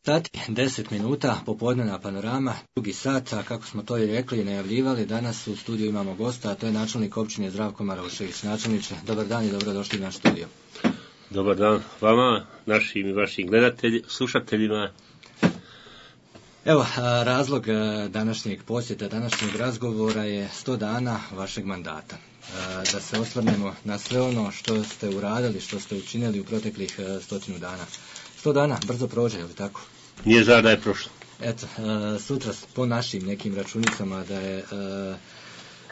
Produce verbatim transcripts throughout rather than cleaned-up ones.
sati, deset minuta, popodnevna panorama, drugi sat, a kako smo to i rekli i najavljivali, danas u studiju imamo gosta, a to je načelnik općine Zdravko Marošević. Načelniče, dobar dan i dobrodošli u naš studio. Dobar dan vama, našim i vašim gledateljima, slušateljima. Evo, razlog današnjeg posjeta, današnjeg razgovora je sto dana vašeg mandata. Da se osvrnemo na sve ono što ste uradili, što ste učinili u proteklih stotinu dana. Sto dana brzo prođe, je li tako? Nije zar da je prošlo. Eto, sutra po našim nekim računicama da je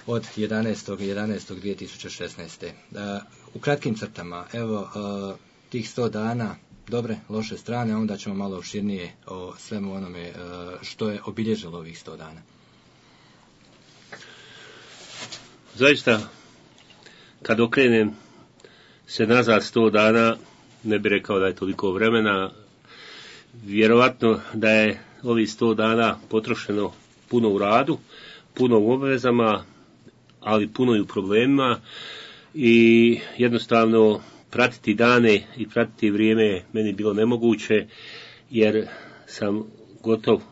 od jedanaestog jedanaestog dvije tisuće šesnaeste. U kratkim crtama, evo, tih sto dana, dobre, loše strane, onda ćemo malo opširnije o svemu onome što je obilježilo ovih sto dana. Zaista, kad okrenem se nazad sto dana, ne bih rekao da je toliko vremena, vjerovatno da je ovih sto dana potrošeno puno u radu, puno u obvezama, ali puno i u problemima i jednostavno pratiti dane i pratiti vrijeme meni bilo nemoguće, jer sam gotov,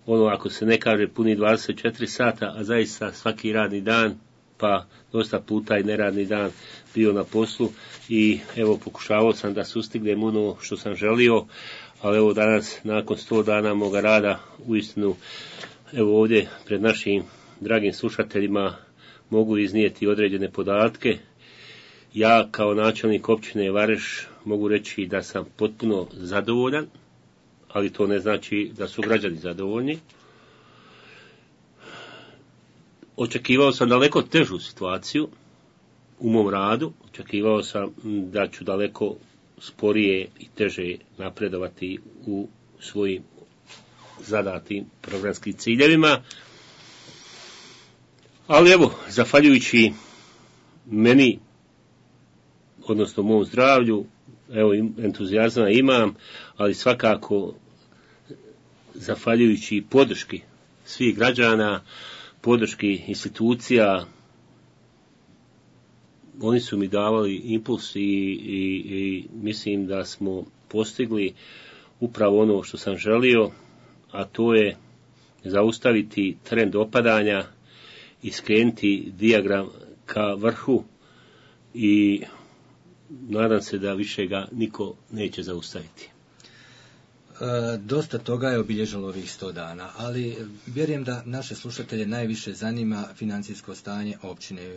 ono ako se ne kaže puni dvadeset četiri sata, a zaista svaki radni dan, pa dosta puta i neradni dan bio na poslu i evo pokušavao sam da sustignem ono što sam želio, ali evo danas nakon sto dana moga rada uistinu evo ovdje pred našim dragim slušateljima mogu iznijeti određene podatke. Ja kao načelnik općine Vareš mogu reći da sam potpuno zadovoljan, ali to ne znači da su građani zadovoljni. Očekivao sam daleko težu situaciju u mom radu, očekivao sam da ću daleko sporije i teže napredovati u svojim zadatim programskim ciljevima. Ali evo, zahvaljujući meni, odnosno mom zdravlju, evo entuzijazma imam, ali svakako zahvaljujući podrški svih građana, podrški institucija, oni su mi davali impuls i, i, i mislim da smo postigli upravo ono što sam želio, a to je zaustaviti trend opadanja i skrenuti dijagram ka vrhu i nadam se da više ga niko neće zaustaviti. E, dosta toga je obilježilo ovih sto dana, ali vjerujem da naše slušatelje najviše zanima financijsko stanje općine, e,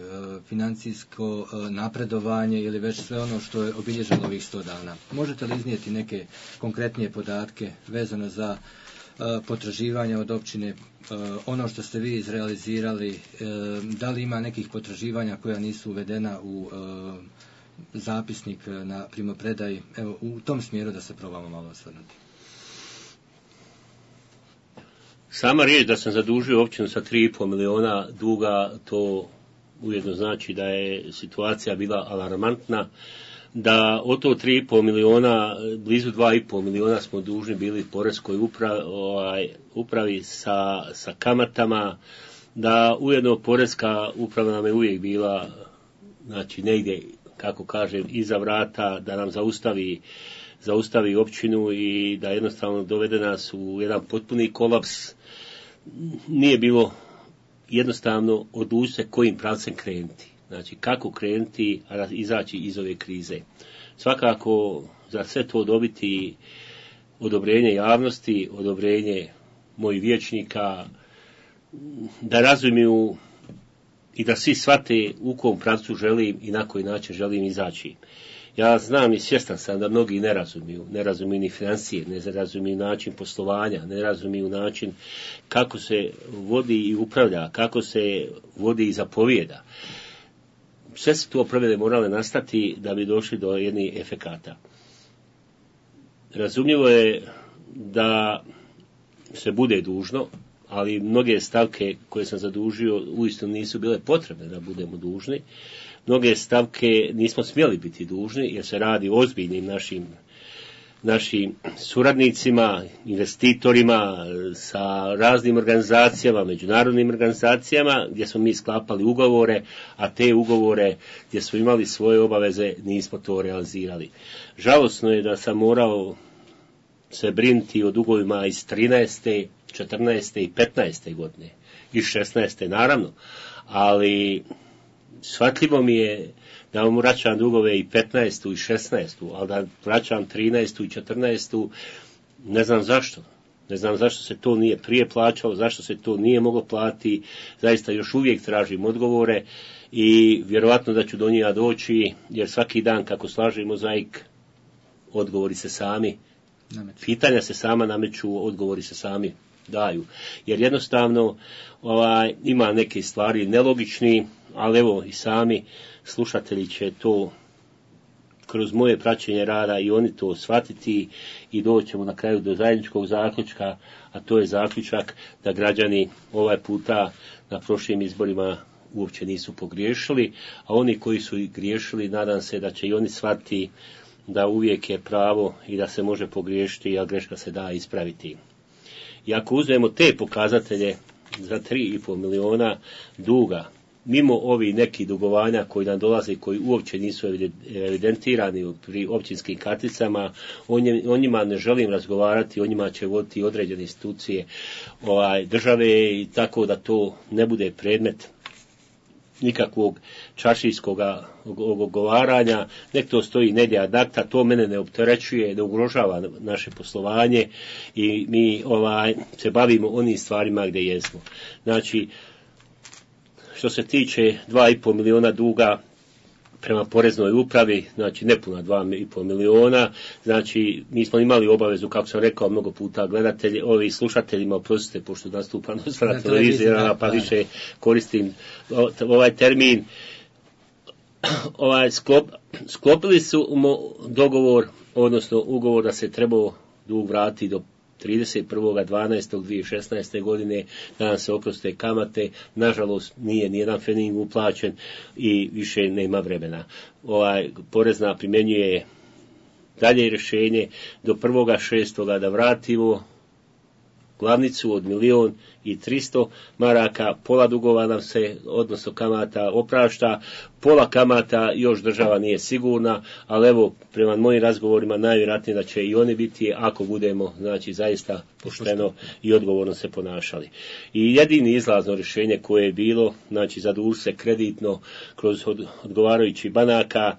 financijsko e, napredovanje ili već sve ono što je obilježilo ovih sto dana. Možete li iznijeti neke konkretnije podatke vezano za e, potraživanja od općine, e, ono što ste vi izrealizirali, e, da li ima nekih potraživanja koja nisu uvedena u e, zapisnik na primopredaji, evo u tom smjeru da se probamo malo osvrnuti. Sama riječ da sam zadužio općinu sa tri i pol miliona duga, to ujedno znači da je situacija bila alarmantna, da od to tri i pol miliona, blizu dva i pol miliona smo dužni bili poreskoj upravi, ovaj, upravi sa, sa kamatama, da ujedno poreska uprava nam je uvijek bila, znači negdje, kako kažem, iza vrata, da nam zaustavi, zaustavi općinu i da jednostavno dovede nas u jedan potpuni kolaps. Nije bilo jednostavno odlučiti se kojim pravcem krenuti. Znači, kako krenuti, a izaći iz ove krize. Svakako, za sve to dobiti odobrenje javnosti, odobrenje mojih vijećnika, da razumiju i da svi shvate u kom pravcu želim i na koji način želim izaći. Ja znam i svjestan sam da mnogi ne razumiju, ne razumiju ni financije, ne razumiju način poslovanja, ne razumiju način kako se vodi i upravlja, kako se vodi i zapovijeda. Sve su to promjene morale nastati da bi došli do jednih efekata. Razumljivo je da se bude dužno, ali mnoge stavke koje sam zadužio uistinu nisu bile potrebne da budemo dužni. Mnoge stavke nismo smjeli biti dužni jer se radi o ozbiljnim našim, našim suradnicima, investitorima, sa raznim organizacijama, međunarodnim organizacijama gdje smo mi sklapali ugovore, a te ugovore gdje smo imali svoje obaveze nismo to realizirali. Žalosno je da sam morao se brinuti o dugovima iz trinaeste, četrnaeste i petnaeste godine, i šesnaeste naravno, ali shvatljivo mi je da vam vraćam dugove i petnaestu i šesnaestu, ali da vraćam trinaestu i četrnaestu, ne znam zašto. Ne znam zašto se to nije prije plaćalo, zašto se to nije moglo platiti, zaista još uvijek tražim odgovore i vjerovatno da ću do njega doći, jer svaki dan kako slažem mozaik, odgovori se sami, nameću. Pitanja se sama nameću, odgovori se sami daju. Jer jednostavno ovaj, ima neke stvari nelogični, ali evo i sami slušatelji će to kroz moje praćenje rada i oni to shvatiti i doćemo na kraju do zajedničkog zaključka, a to je zaključak da građani ovaj puta na prošlim izborima uopće nisu pogriješili, a oni koji su i griješili, nadam se da će i oni shvatiti da uvijek je pravo i da se može pogriješiti, a greška se da ispraviti. I ako uzmemo te pokazatelje za tri i pol miliona duga, mimo ovi neki dugovanja koji nam dolaze, koji uopće nisu evidentirani pri općinskim karticama, o njima ne želim razgovarati, o njima će voditi određene institucije ovaj, države i tako da to ne bude predmet nikakvog čaršijskog ogovaranja, nek to stoji negdje ad acta, to mene ne opterećuje, ne ugrožava naše poslovanje i mi ovaj, se bavimo onim stvarima gdje jesmo. Znači, što se tiče dva i pol miliona duga prema poreznoj upravi, znači nepuna dva i pol miliona, znači mi smo imali obavezu, kako sam rekao mnogo puta gledatelji, ovi slušateljima, oprostite, pošto nastupam na televiziji, pa više koristim ovaj termin, ovaj sklop, sklopili su dogovor, odnosno ugovor da se trebao dug vratiti do trideset prvog dvanaestog dvije tisuće šesnaeste godine, da nam se oproste kamate, nažalost nije nijedan fening uplaćen i više nema vremena. Ovaj, porezna primjenjuje dalje rješenje do prvog šestog da vratimo glavnicu od milion i tristo maraka, pola dugova nam se, odnosno kamata, oprašta, pola kamata još država nije sigurna, ali evo, prema mojim razgovorima, najvjerojatnije da će i oni biti, ako budemo, znači, zaista pošteno i odgovorno se ponašali. I jedini izlazno rješenje koje je bilo, znači, zadužiti se kreditno kroz odgovarajući banaka,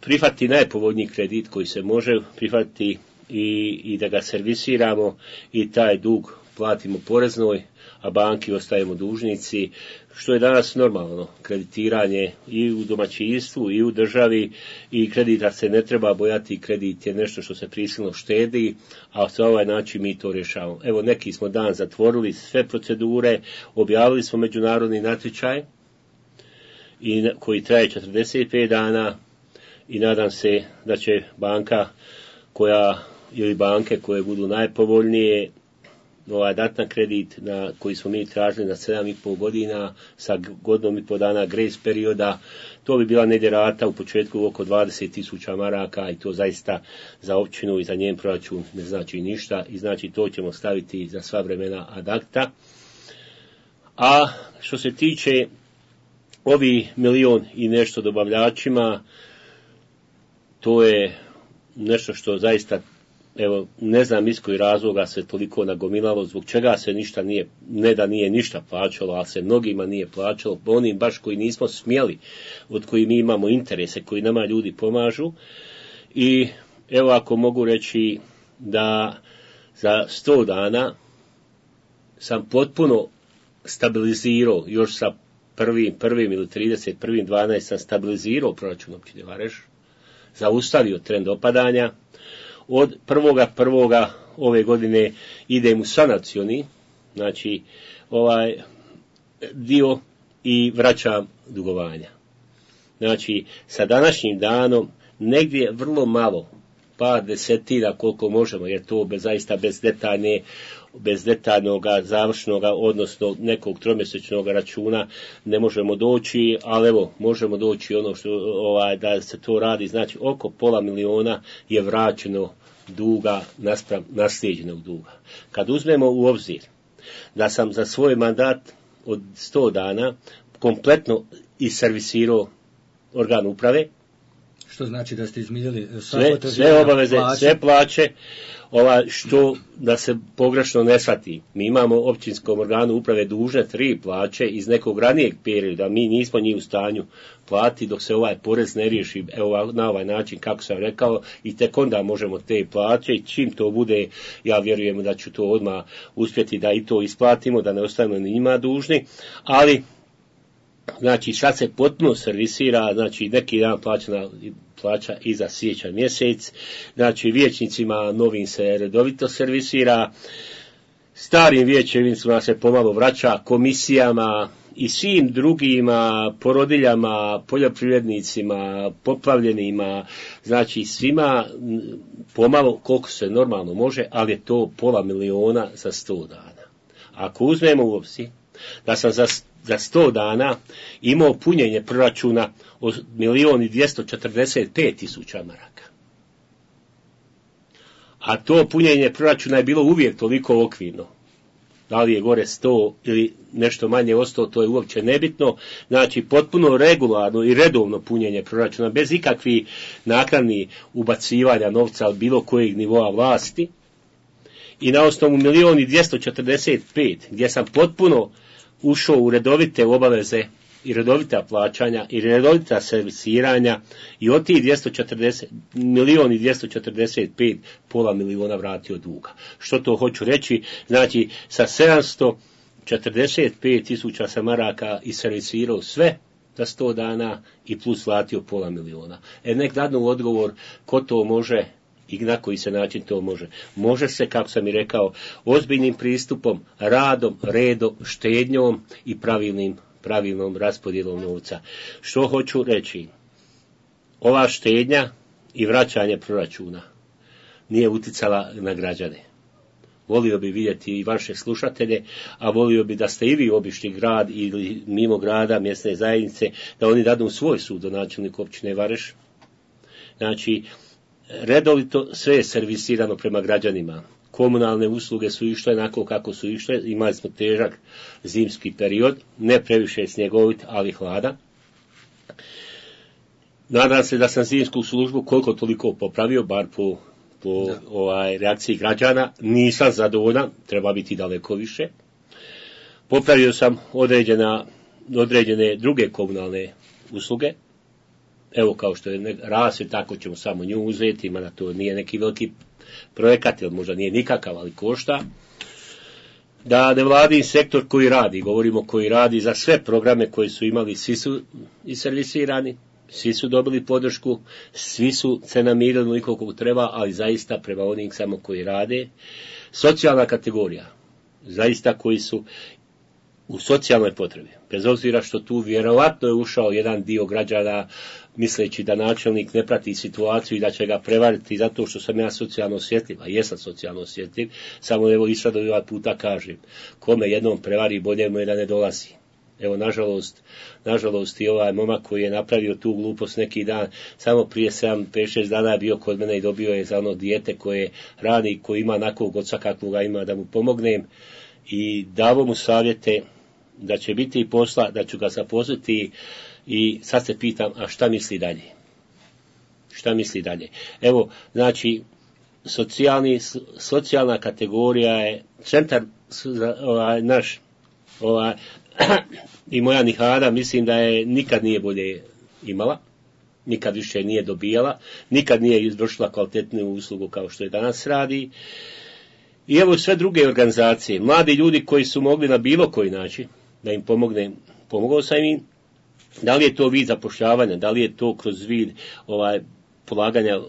prihvatiti najpovoljniji kredit koji se može prihvatiti i, i da ga servisiramo i taj dug platimo poreznoj, a banki ostajemo dužnici, što je danas normalno, kreditiranje i u domaćinstvu i u državi i kreditar se ne treba bojati, kredit je nešto što se prisilno štedi, a sa ovaj način mi to rješavamo. Evo, neki smo dan zatvorili sve procedure, objavili smo međunarodni natječaj i koji traje četrdeset pet dana i nadam se da će banka koja ili banke koje budu najpovoljnije ovaj dat na kredit na koji smo mi tražili na sedam i pol godina sa godinom i pol dana grace perioda, to bi bila negdje rata u početku oko dvadeset tisuća maraka i to zaista za općinu i za njen proračun ne znači ništa i znači to ćemo staviti za sva vremena ad acta. A što se tiče ovi milion i nešto dobavljačima, to je nešto što zaista, evo, ne znam iz kojih razloga se toliko nagomilalo, zbog čega se ništa nije, ne da nije ništa plaćalo, ali se mnogima nije plaćalo, onim baš koji nismo smjeli, od koji mi imamo interese, koji nama ljudi pomažu. I evo, ako mogu reći da za sto dana sam potpuno stabilizirao, još sa prvim, prvim ili trideset prvim dvanaest sam stabilizirao proračun općine Vareš, zaustavio trend opadanja. Od prvoga prvoga ove godine idem u sanacioni, znači ovaj dio i vraćam dugovanja. Znači, sa današnjim danom negdje vrlo malo, par desetina koliko možemo, jer to bez, zaista bez detaljne, bez detaljnog završnog, odnosno nekog tromjesečnog računa ne možemo doći, ali evo, možemo doći ono što, ovaj, da se to radi, znači oko pola miliona je vraćeno duga naspram naslijeđenog duga. Kad uzmemo u obzir da sam za svoj mandat od sto dana kompletno iservisirao organ uprave, Što znači da ste izmiljili sve, sve obaveze, plaće. Sve plaće, ova, što da se pogrešno ne shvati. Mi imamo općinskom organu uprave dužne tri plaće iz nekog ranijeg perioda, mi nismo njih u stanju plati dok se ovaj porez ne riješi evo, na ovaj način kako sam rekao i tek onda možemo te plaće i čim to bude, ja vjerujem da ću to odmah uspjeti da i to isplatimo, da ne ostavimo ni njima dužni, ali znači sad se potpuno servisira, znači neki dan plaćana plaća i za siječanj mjesec, znači vijećnicima novim se redovito servisira, starim vijećnicima se pomalo vraća, komisijama i svim drugima, porodiljama, poljoprivrednicima, poplavljenima, znači svima pomalo koliko se normalno može, ali je to pola miliona za sto dana. Ako uzmemo u obzir da sam za za sto dana imao punjenje proračuna od milion i dvjesto četrdeset pet tisuća maraka. A to punjenje proračuna je bilo uvijek toliko okvirno. Da li je gore sto ili nešto manje od sto, to je uopće nebitno. Znači, potpuno regularno i redovno punjenje proračuna, bez ikakvih naknadnih ubacivanja novca od bilo kojeg nivoa vlasti. I na osnovu milion i dvjesto četrdeset pet, gdje sam potpuno ušao u redovite obaveze i redovita plaćanja i redovita servisiranja i od tih dvjesto četrdeset, milion i dvjesto četrdeset pet pola miliona vratio duga. Što to hoću reći? Znači, sa sedamsto četrdeset pet tisuća sam maraka i servisirao sve za sto dana i plus vratio pola miliona. E nek dadnu odgovor ko to može i na koji se način to može. Može se, kako sam i rekao, ozbiljnim pristupom, radom, redom, štednjom i pravilnim, pravilnom raspodjelom novca. Što hoću reći? Ova štednja i vraćanje proračuna nije uticala na građane. Volio bi vidjeti i vaše slušatelje, a volio bi da ste i vi obišli grad ili mimo grada, mjesne zajednice, da oni dadu svoj sud do načelnika općine Vareš. Znači, redovito sve je servisirano prema građanima. Komunalne usluge su išle onako kako su išle. Imali smo težak zimski period, ne previše snjegovit, ali hladan. Nadam se da sam zimsku službu koliko toliko popravio, bar po, po ovaj, reakciji građana. Nisam zadovoljan, treba biti daleko više. Popravio sam određena, određene druge komunalne usluge. Evo kao što je rasvjeta, tako ćemo samo nju uzeti, ima da to nije neki veliki projekat, ili možda nije nikakav, ali košta. Da nevladin sektor koji radi, govorimo koji radi za sve programe koji su imali, svi su iservisirani, svi su dobili podršku, svi su se namirili onoliko kako treba, ali zaista prema onim samo koji rade. Socijalna kategorija, zaista koji su u socijalnoj potrebi, bez obzira što tu vjerovatno je ušao jedan dio građana misleći da načelnik ne prati situaciju i da će ga prevariti zato što sam ja socijalno osjetljiv, a jesam socijalno osjetljiv, samo evo i sad ovaj puta kažem, kome jednom prevari bolje mu je da ne dolazi. Evo, nažalost, nažalost i ovaj momak koji je napravio tu glupost neki dan, samo prije sedam, pet, šest dana je bio kod mene i dobio je za ono dijete koje rani, koji ima nakog oca kakvoga ima, da mu pomognem i davo mu savjete da će biti i posla, da ću ga zaposliti i sad se pitam, a šta misli dalje? Šta misli dalje? Evo, znači, socijalni, socijalna kategorija je centar ovaj, naš ovaj, i moja Nihada, mislim da je nikad nije bolje imala, nikad više nije dobijala, nikad nije izvršila kvalitetnu uslugu kao što je danas radi. I evo sve druge organizacije, mladi ljudi koji su mogli na bilo koji način da im pomogne, pomogao sam im. Da li je to vid zapošljavanja, da li je to kroz vid ovaj, polaganja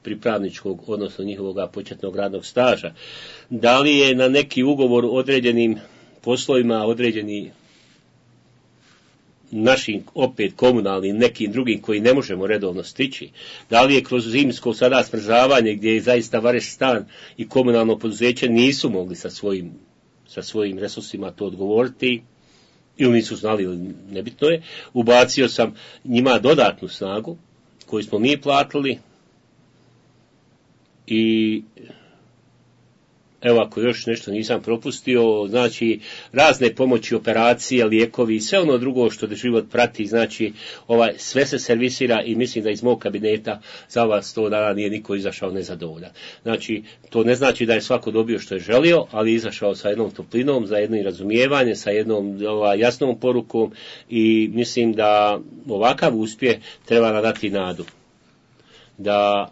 pripravničkog, odnosno njihovog početnog radnog staža, da li je na neki ugovor određenim poslovima, određeni našim opet komunalnim, nekim drugim koji ne možemo redovno stići, da li je kroz zimsko sada smrzavanje gdje je zaista Vareš stan i komunalno poduzeće nisu mogli sa svojim, sa svojim resursima to odgovoriti, ili nisu znali, ili nebitno je, ubacio sam njima dodatnu snagu koju smo mi platili i evo ako još nešto nisam propustio, znači razne pomoći, operacije, lijekovi i sve ono drugo što život prati, znači ovaj, sve se servisira i mislim da iz mog kabineta za ova sto dana nije niko izašao nezadovoljan. Znači, to ne znači da je svako dobio što je želio, ali izašao sa jednom toplinom, za jednim razumijevanjem, sa jednom ovaj, jasnom porukom i mislim da ovakav uspjeh treba nadati nadu. Da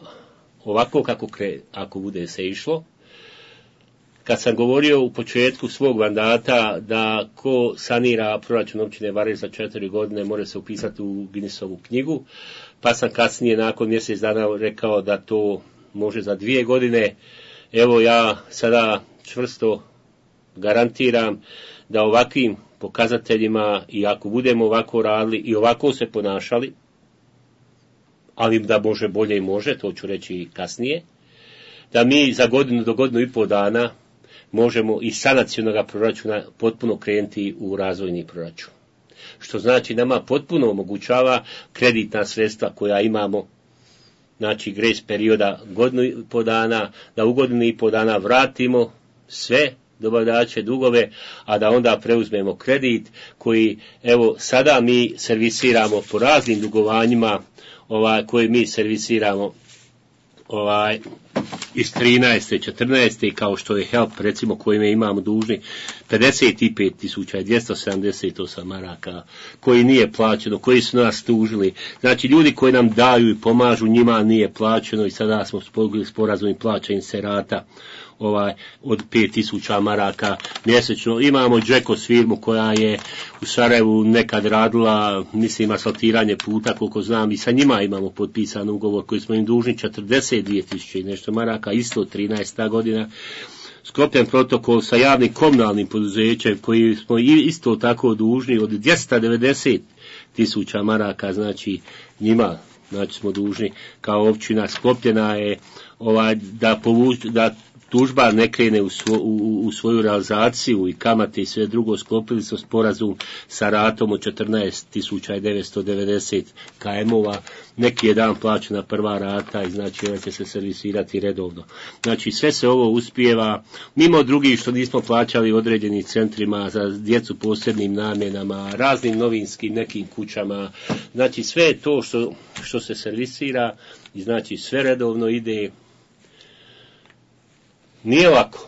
ovako kako kre, ako bude se išlo, kad sam govorio u početku svog mandata da ko sanira proračun općine Vareš za četiri godine može se upisati u Guinnessovu knjigu, pa sam kasnije nakon mjesec dana rekao da to može za dvije godine. Evo ja sada čvrsto garantiram da ovakvim pokazateljima i ako budemo ovako radili i ovako se ponašali, ali da može bolje i može, to ću reći kasnije, da mi za godinu do godinu i pol dana možemo iz sanacionalnog proračuna potpuno krenuti u razvojni proračun. Što znači nama potpuno omogućava kreditna sredstva koja imamo, znači grace perioda godinu i pol dana, da u godinu i pol dana vratimo sve dobavljače dugove, a da onda preuzmemo kredit koji, evo, sada mi servisiramo po raznim dugovanjima, ovaj, koje mi servisiramo ovaj, iz trinaeste, četrnaeste kao što je Help, recimo, kojime imamo dužni pedeset pet tisuća dvjesto sedamdeset osam maraka, koji nije plaćeno, koji su nas tužili. Znači, ljudi koji nam daju i pomažu, njima nije plaćeno i sada smo spogli sporazum i plaćanje serata ovaj, od pet tisuća maraka mjesečno. Imamo Džekos firmu koja je u Sarajevu nekad radila, mislim, asfaltiranje puta, koliko znam, i sa njima imamo potpisan ugovor koji smo im dužni četrdeset dvije tisuće i nešto maraka, isto trinaesta godina. Sklopljen protokol sa javnim komunalnim poduzećem koji smo isto tako dužni od dvjesto devedeset tisuća maraka, znači njima, znači smo dužni kao općina. Sklopljena je ovaj, da povuč, da tužba ne krene u, svo, u, u svoju realizaciju i kamate i sve drugo. Sklopili smo sporazum sa ratom od četrnaest tisuća devetsto devedeset km-ova. Neki je dan plaćena prva rata i znači ona će se servisirati redovno. Znači sve se ovo uspijeva, mimo drugih što nismo plaćali određenim centrima za djecu posebnim namjenama, raznim novinskim nekim kućama. Znači sve je to što, što se servisira i znači sve redovno ide. Nije lako,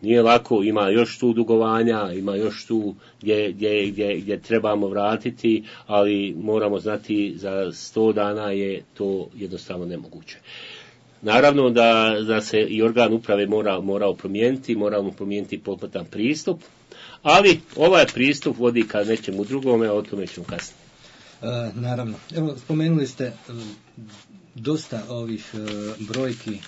nije lako, ima još tu dugovanja, ima još tu gdje, gdje, gdje, gdje trebamo vratiti, ali moramo znati za sto dana je to jednostavno nemoguće. Naravno da, da se i organ uprave mora, morao promijeniti, moramo promijeniti potputan pristup, ali ovaj pristup vodi ka nečemu drugome, a o tome ćemo kasnije. E, naravno, evo spomenuli ste e, dosta ovih e, brojki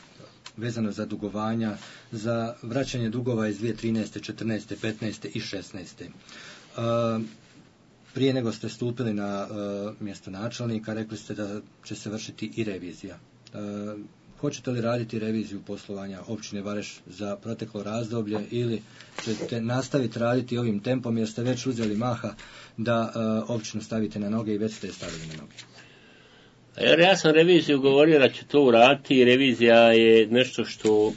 vezano za dugovanja, za vraćanje dugova iz dvije tisuće trinaeste, četrnaeste, petnaeste i šesnaeste. Uh, prije nego ste stupili na uh, mjesto načelnika, rekli ste da će se vršiti i revizija. Uh, hoćete li raditi reviziju poslovanja općine Vareš za proteklo razdoblje ili ćete nastaviti raditi ovim tempom jer ste već uzeli maha da uh, općinu stavite na noge i već ste je stavili na noge? Jer ja sam reviziju govorio da će to uraditi i revizija je nešto što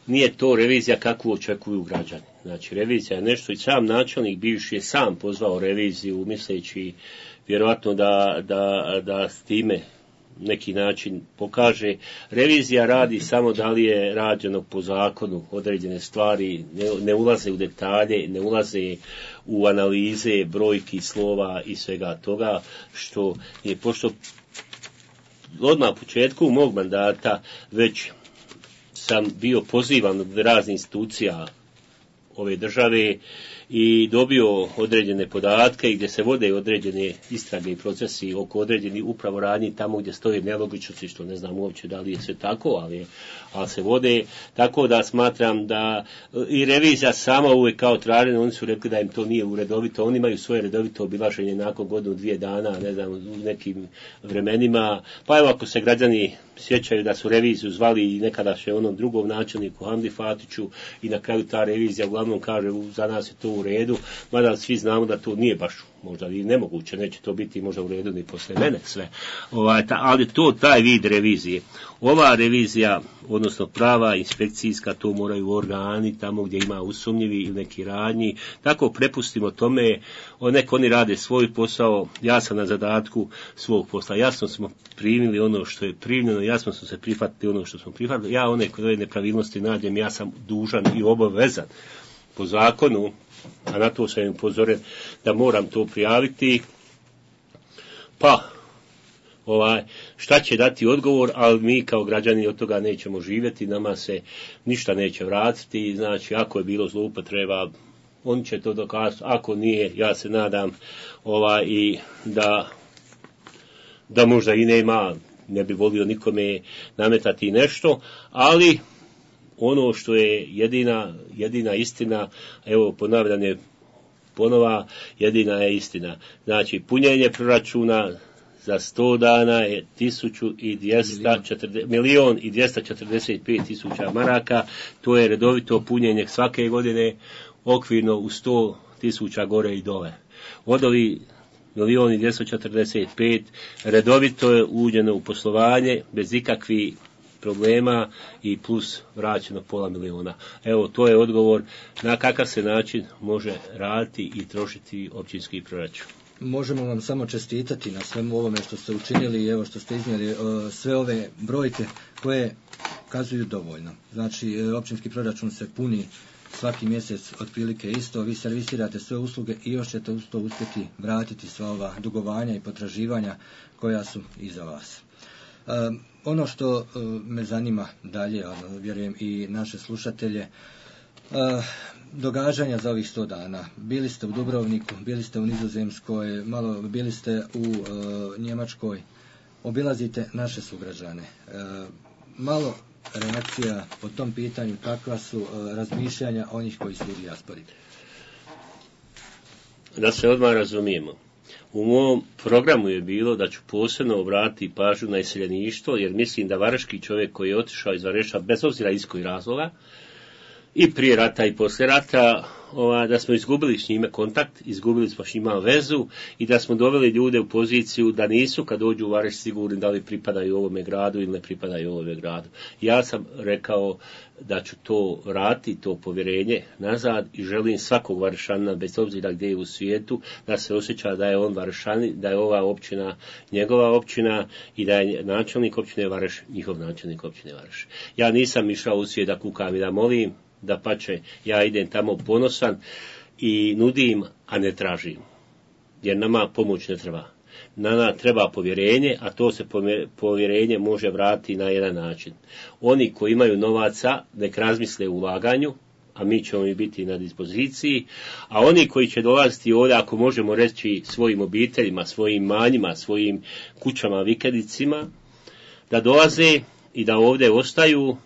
nije to revizija kakvu očekuju građani. Znači revizija je nešto i sam načelnik bivši je sam pozvao reviziju misleći vjerojatno da, da, da s time neki način pokaže. Revizija radi samo da li je rađeno po zakonu određene stvari, ne, ne ulaze u detalje, ne ulaze u analize brojki, slova i svega toga, što je, pošto odmah u početku mog mandata već sam bio pozivan od raznih institucija ove države i dobio određene podatke i gdje se vode određene istrage i procesi oko određenih upravo radnji tamo gdje stoje nelogičnosti, što ne znam uopće da li je sve tako, ali, ali se vode, tako da smatram da i revizija sama uvijek kao tražena, oni su rekli da im to nije uredovito, oni imaju svoje redovito obilaženje nakon godinu, dvije dana, ne znam, u nekim vremenima, pa evo ako se građani sjećaju da su reviziju zvali i nekadašnjem onom drugom načelniku Hamdi Fatiću i na kraju ta revizija uglavnom kaže za nas je to u redu, mada svi znamo da to nije baš možda i nemoguće, neće to biti možda u redu ni posle mene sve. Ovaj, ta, ali to taj vid revizije. Ova revizija, odnosno prava inspekcijska, to moraju organi tamo gdje ima usumnjivi ili neki radnji. Tako prepustimo tome, nek oni rade svoj posao, ja sam na zadatku svog posla. Jasno smo primili ono što je primljeno, jasno smo se prihvatili ono što smo prihvatili. Ja one koje nepravilnosti nađem, ja sam dužan i obavezan po zakonu, a na to sam upozoren da moram to prijaviti, pa ovaj, šta će dati odgovor, ali mi kao građani od toga nećemo živjeti, nama se ništa neće vratiti, znači ako je bilo zloupotreba, on će to dokazati, ako nije, ja se nadam ovaj, i da, da možda i nema, ne bi volio nikome nametati nešto, ali ono što je jedina, jedina istina, evo ponavljanje ponova, jedina je istina. Znači, punjenje proračuna za sto dana je tisuću i dvjesto četrdeset, milion i dvjesto četrdeset pet tisuća maraka, to je redovito punjenje svake godine, okvirno u sto tisuća gore i dole. Od ovih milion i dvjesto četrdeset pet redovito je uđeno u poslovanje bez ikakvih problema i plus vraćeno pola miliona. Evo, to je odgovor na kakav se način može raditi i trošiti općinski proračun. Možemo vam samo čestitati na svemu ovome što ste učinili i evo što ste iznijeli sve ove brojke koje kazuju dovoljno. Znači, općinski proračun se puni svaki mjesec otprilike isto, vi servisirate sve usluge i još ćete uz to uspjeti vratiti sva ova dugovanja i potraživanja koja su iza vas. Uh, ono što uh, me zanima dalje, ono, vjerujem i naše slušatelje, uh, događanja za ovih sto dana. Bili ste u Dubrovniku, bili ste u Nizozemskoj, malo bili ste u uh, Njemačkoj, obilazite naše sugrađane. Uh, malo reakcija po tom pitanju, kakva su uh, razmišljanja onih koji su u dijaspori? Da se odmah razumijemo. U mom programu je bilo da ću posebno obratiti pažnju na iseljeništvo, jer mislim da varaški čovjek koji je otišao iz Vareša, bez obzira iz kojih razloga, i prije rata i poslije rata, ova, da smo izgubili s njime kontakt, izgubili smo s njima vezu i da smo doveli ljude u poziciju da nisu kad dođu u Vareš sigurni da li pripadaju ovome gradu ili ne pripadaju ovome gradu. Ja sam rekao da ću to vratiti, to povjerenje nazad i želim svakog Varešana, bez obzira gdje je u svijetu, da se osjeća da je on Varešanin, da je ova općina njegova općina i da je načelnik općine Vareš njihov načelnik općine Vareš. Ja nisam išao u svijet da kukam i da molim, da pače, ja idem tamo ponosan i nudim, a ne tražim. Jer nama pomoć ne treba. Nama treba povjerenje, a to se povjerenje može vratiti na jedan način. Oni koji imaju novaca, nek razmisle u ulaganju, a mi ćemo i biti na dispoziciji, a oni koji će dolaziti ovdje, ako možemo reći svojim obiteljima, svojim manjima, svojim kućama, vikendicima, da dolaze i da ovdje ostaju,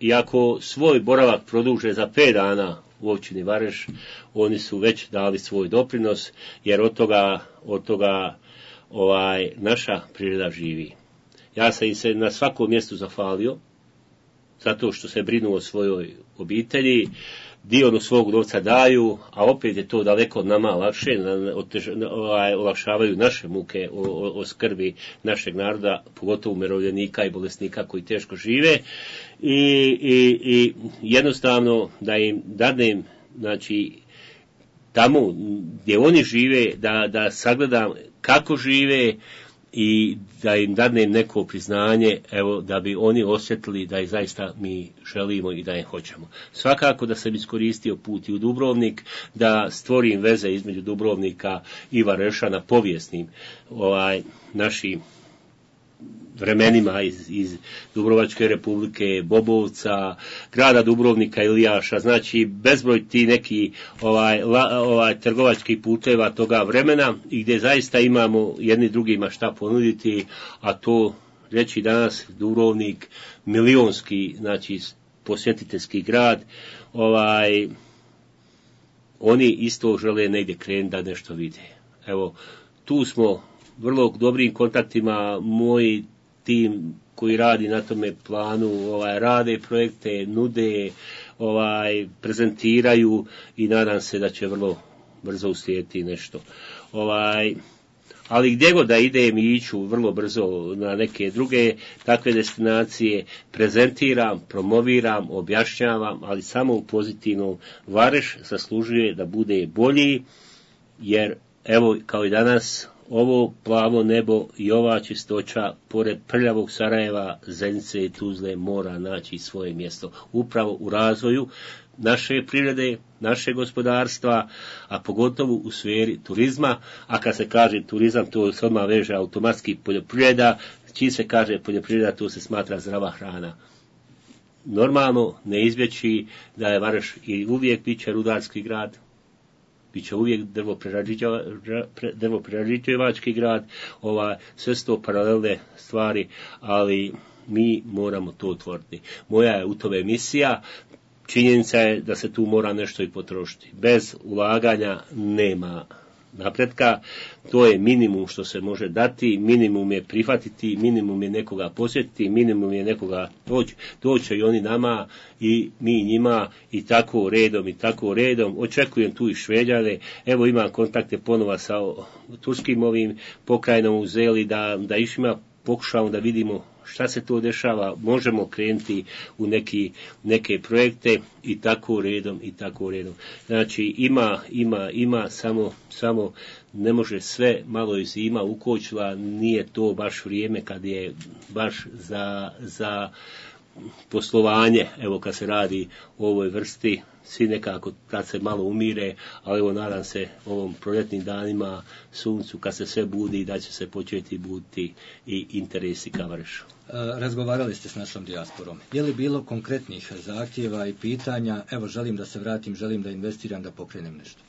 i ako svoj boravak produže za pet dana u općini Vareš, oni su već dali svoj doprinos, jer od toga, od toga ovaj, naša priroda živi. Ja sam im se na svakom mjestu zahvalio, zato što se brinu o svojoj obitelji, dio od svog novca daju, a opet je to daleko nama lakše, olakšavaju naše muke o, o, o skrbi našeg naroda, pogotovo umirovljenika i bolesnika koji teško žive, i, i, i jednostavno da im dadnem, znači, tamo gdje oni žive, da, da sagledam kako žive i da im dadnem neko priznanje, evo, da bi oni osjetili da ih zaista mi želimo i da ih hoćemo. Svakako da sam iskoristio put i u Dubrovnik, da stvorim veze između Dubrovnika i Vareša na povijesnim ovaj, našim vremenima iz, iz Dubrovačke republike, Bobovca, grada Dubrovnika, Ilijaša, znači bezbroj ti neki ovaj, la, ovaj, trgovačkih puteva toga vremena i gdje zaista imamo jedni drugima šta ponuditi, a to reći danas Dubrovnik milionski, znači posjetiteljski grad, ovaj, oni isto žele negdje krenuti da nešto vide. Evo, tu smo vrlo dobrim kontaktima, moji tim koji radi na tome planu, ovaj, rade projekte, nude, ovaj prezentiraju i nadam se da će vrlo brzo uslijediti nešto. Ovaj Ali gdje god da idem i iću vrlo brzo na neke druge takve destinacije, prezentiram, promoviram, objašnjavam, ali samo u pozitivnom. Vareš zaslužuje da bude bolji, jer evo kao i danas ovo plavo nebo i ova čistoća pored prljavog Sarajeva, Zenice i Tuzle mora naći svoje mjesto upravo u razvoju naše privrede, naše gospodarstva, a pogotovo u sferi turizma. A kad se kaže turizam, to se odmah veže automatski poljoprivreda. Čim se kaže poljoprivreda, to se smatra zdrava hrana. Normalno ne izbjeći da je Vareš i uvijek bit će rudarski grad, bit će uvijek drvoprerađivački grad, ova, sve sto paralelne stvari, ali mi moramo to otvoriti. Moja je u tome misija. Činjenica je da se tu mora nešto i potrošiti. Bez ulaganja nema napretka. To je minimum što se može dati, minimum je prihvatiti, minimum je nekoga posjetiti, minimum je nekoga doći. Doće i oni nama i mi njima i tako redom i tako redom. Očekujem tu i Šveđane. Evo imam kontakte ponova sa turskim ovim pokrajinom u Zeli da, da išima pokušamo da vidimo šta se to dešava, možemo krenuti u neki, neke projekte i tako redom i tako redom. Znači ima, ima, ima, samo, samo ne može sve, malo je zima ukočila, nije to baš vrijeme kad je baš za, za poslovanje, evo kad se radi o ovoj vrsti, svi nekako kad se malo umire, ali evo nadam se ovom proljetnim danima, suncu, kad se sve budi, da će se početi buditi i interesi ka Varešu. Razgovarali ste s našom dijasporom. Je li bilo konkretnih zahtjeva i pitanja, evo želim da se vratim, želim da investiram, da pokrenem nešto?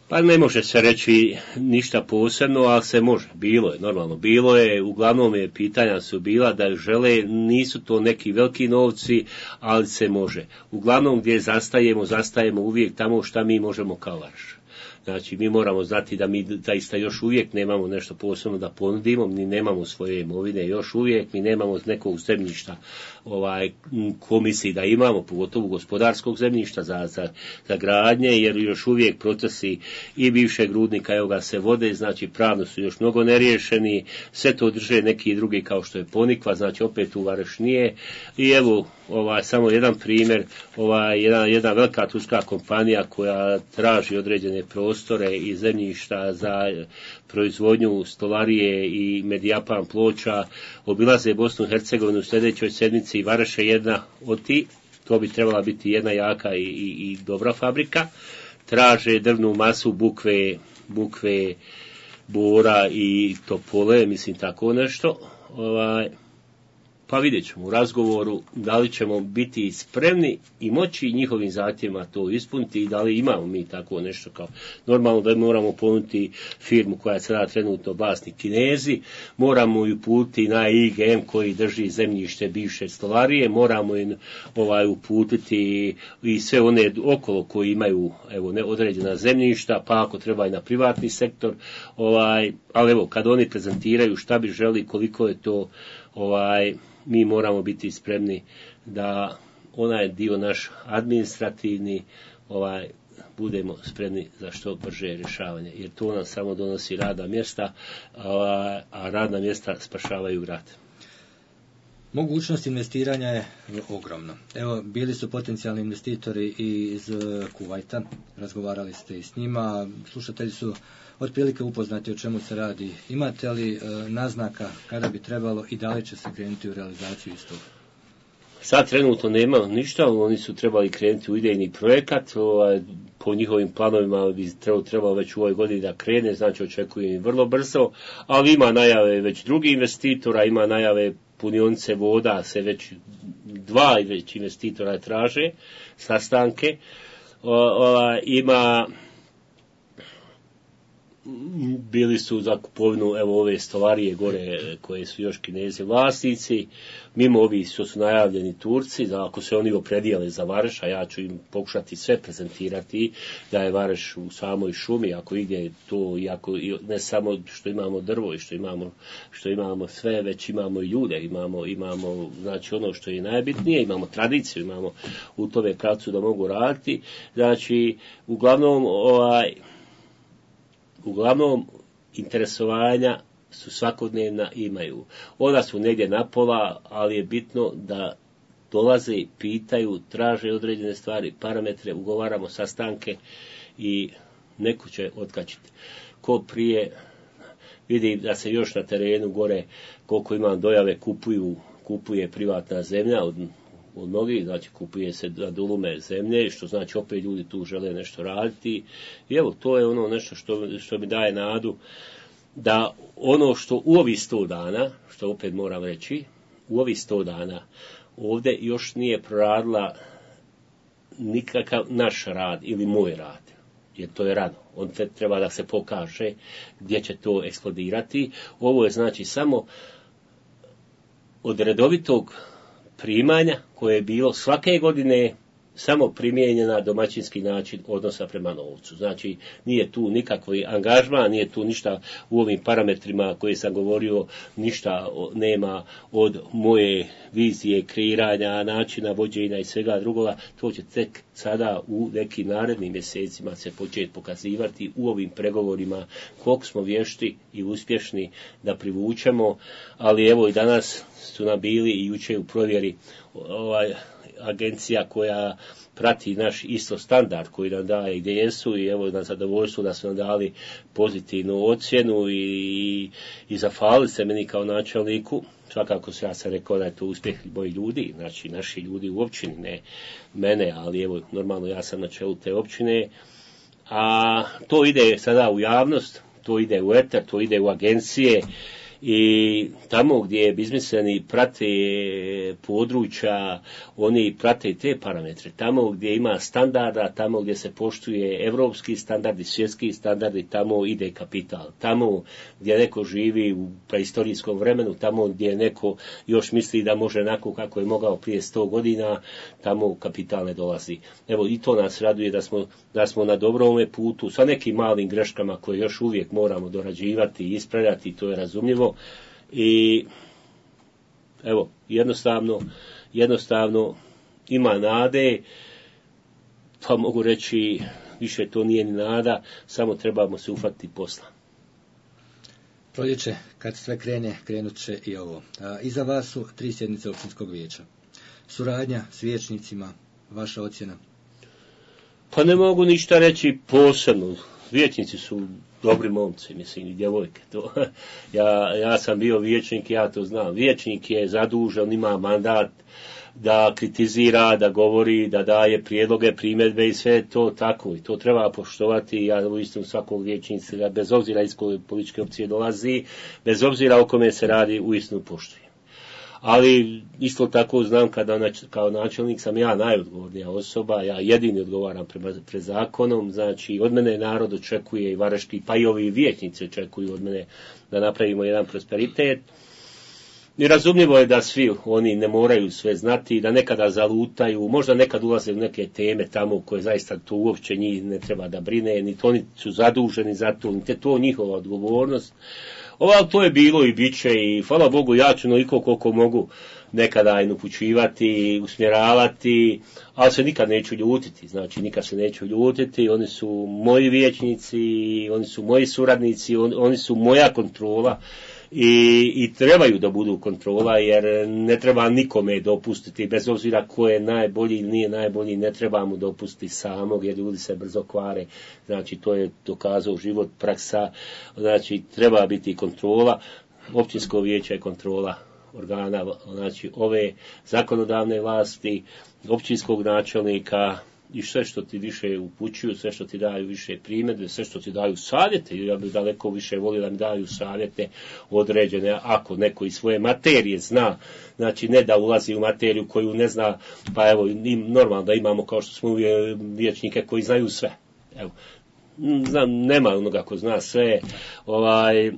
Pa ne može se reći ništa posebno, ali se može. Bilo je, normalno. Bilo je, uglavnom je pitanja su bila da žele, nisu to neki veliki novci, ali se može. Uglavnom gdje zastajemo, zastajemo uvijek tamo šta mi možemo kao Vareš. Znači, mi moramo znati da mi zaista još uvijek nemamo nešto posebno da ponudimo, mi nemamo svoje imovine još uvijek, mi nemamo nekog zemljišta ovaj, komisiji da imamo, pogotovo gospodarskog zemljišta za, za, za gradnje, jer još uvijek procesi i bivšeg rudnika evo ga se vode, znači pravno su još mnogo neriješeni, sve to drže neki drugi kao što je Ponikva, znači opet u Vareš nije. I evo, ovaj, samo jedan primjer, ovaj, jedna, jedna velika turska kompanija koja traži određene prostore i zemljišta za proizvodnju stolarije i medijapan ploča, obilaze Bosnu i Hercegovinu u sljedećoj sedmici i Vareš je jedna od ti, to bi trebala biti jedna jaka i, i, i dobra fabrika, traže drvnu masu, bukve, bukve, bora i topole, mislim tako nešto, ovaj, pa vidjet ćemo u razgovoru da li ćemo biti spremni i moći njihovim zahtjevima to ispuniti i da li imamo mi tako nešto kao normalno da moramo ponuditi firmu koja je sada trenutno vlasnik Kinezi, moramo ju uputiti na I G M koji drži zemljište bivše stolarije, moramo im ovaj, uputiti i sve one okolo koji imaju evo, ne, određena zemljišta, pa ako treba i na privatni sektor, ovaj, ali evo kad oni prezentiraju šta bi želi, koliko je to ovaj, mi moramo biti spremni da onaj dio naš administrativni ovaj, budemo spremni za što brže rješavanje. Jer to nam samo donosi radna mjesta, a, a radna mjesta spašavaju grad. Mogućnost investiranja je ogromna. Evo, bili su potencijalni investitori iz Kuvajta, razgovarali ste i s njima, slušatelji su otprilike upoznati o čemu se radi. Imate li e, naznaka kada bi trebalo i da li će se krenuti u realizaciju istog? Sad trenutno nema ništa, oni su trebali krenuti u idejni projekat, ovaj, po njihovim planovima bi trebalo, trebalo već u ovoj godini da krene, znači očekujem vrlo brzo, ali ima najave već drugih investitora, ima najave punionice voda, se već dva već investitora traže, sastanke, o, o, ima bili su za kupovinu evo ove stolarije gore koje su još Kinezi vlasnici, mimo ovih što su najavljeni Turci, da ako se oni opredijele za Vareš, a ja ću im pokušati sve prezentirati da je Vareš u samoj šumi, ako ide to, i ako, ne samo što imamo drvo i što imamo, što imamo sve, već imamo i ljude, imamo, imamo znači ono što je najbitnije, imamo tradiciju, imamo u tome pravcu da mogu raditi, znači uglavnom ovaj Uglavnom, interesovanja su svakodnevna, imaju. Ona su negdje na pola, ali je bitno da dolaze, pitaju, traže određene stvari, parametre, ugovaramo sastanke i neko će otkačiti. Ko prije, vidi da se još na terenu gore, koliko imam dojave, kupuju, kupuje privatna zemlja od od mnogih, znači kupuje se za dulume zemlje, što znači opet ljudi tu žele nešto raditi. I evo, to je ono nešto što, što mi daje nadu da ono što u ovih sto dana, što opet moram reći, u ovih sto dana ovdje još nije proradila nikakav naš rad ili moj rad, jer to je rano. On treba da se pokaže gdje će to eksplodirati. Ovo je znači samo od redovitog primanja koje je bilo svake godine samo primijenjena domaćinski način odnosa prema novcu. Znači, nije tu nikakvi angažman, nije tu ništa u ovim parametrima koje sam govorio, ništa nema od moje vizije, kreiranja, načina vođenja i svega drugoga. To će tek sada u nekim narednim mjesecima se početi pokazivati u ovim pregovorima koliko smo vješti i uspješni da privučemo, ali evo i danas su nam bili i jučer u provjeri ovaj agencija koja prati naš isto standard koji nam daje gdje jesu i evo na zadovoljstvu da su nam dali pozitivnu ocjenu i, i zahvalili se meni kao načelniku. Svakako ja sam rekao da je to uspjeh mojih ljudi, znači naši ljudi u općini, ne mene, ali evo normalno ja sam na čelu te općine, a to ide sada u javnost, to ide u eter, to ide u agencije. I tamo gdje biznismeni prate područja, oni prate te parametre. Tamo gdje ima standarda, tamo gdje se poštuje evropski standardi, svjetski standardi, tamo ide kapital. Tamo gdje neko živi u preistorijskom vremenu, tamo gdje neko još misli da može onako kako je mogao prije sto godina, tamo kapital ne dolazi. Evo i to nas raduje da smo, da smo na dobrome putu, sa nekim malim greškama koje još uvijek moramo dorađivati i ispravljati, to je razumljivo. I evo, jednostavno, jednostavno ima nade, pa mogu reći, više to nije ni nada, samo trebamo se uhvatiti posla. Proljeće, kad sve krene, krenut će i ovo. A, iza vas su tri sjednice općinskog vijeća. Suradnja s vijećnicima, vaša ocjena? Pa ne mogu ništa reći posebno. Vijećnici su dobri momci, mislim, i djevojke. To, ja, ja sam bio vijećnik, ja to znam. Vijećnik je zadužen, ima mandat da kritizira, da govori, da daje prijedloge, primjedbe i sve to tako. I to treba poštovati. Ja uistinu svakog vijećnika, bez obzira iz koje političke opcije dolazi, bez obzira o kome se radi, uistinu poštujem. Ali isto tako znam kada kao načelnik sam ja najodgovornija osoba, ja jedini odgovaram prema, pred zakonom, znači od mene narod očekuje i vareški, pa i ovi vijećnici očekuju od mene da napravimo jedan prosperitet. I razumljivo je da svi oni ne moraju sve znati, da nekada zalutaju, možda nekad ulaze u neke teme tamo koje zaista to uopće njih ne treba da brine, niti oni su zaduženi za to, niti je to njihova odgovornost. Ovo to je bilo i bit će i hvala Bogu ja ću noliko koliko mogu nekada i upućivati, usmjeravati, ali se nikad neću ljutiti, znači nikad se neću ljutiti, oni su moji vijećnici, oni su moji suradnici, on, oni su moja kontrola i, i trebaju da budu kontrola jer ne treba nikome dopustiti, bez obzira ko je najbolji ili nije najbolji, ne treba mu dopustiti samog jer ljudi se brzo kvare, znači to je dokazao život, praksa, znači treba biti kontrola, općinsko vijeće je kontrola organa, znači ove zakonodavne vlasti, općinskog načelnika i sve što ti više upućuju, sve što ti daju više primjedbe, sve što ti daju savjete, ja bih daleko više volio da mi daju savjete određene, ako neko iz svoje materije zna, znači ne da ulazi u materiju koju ne zna, pa evo, normalno da imamo kao što smo vijećnike koji znaju sve. Evo, znam, nema onoga ko zna sve, ovaj,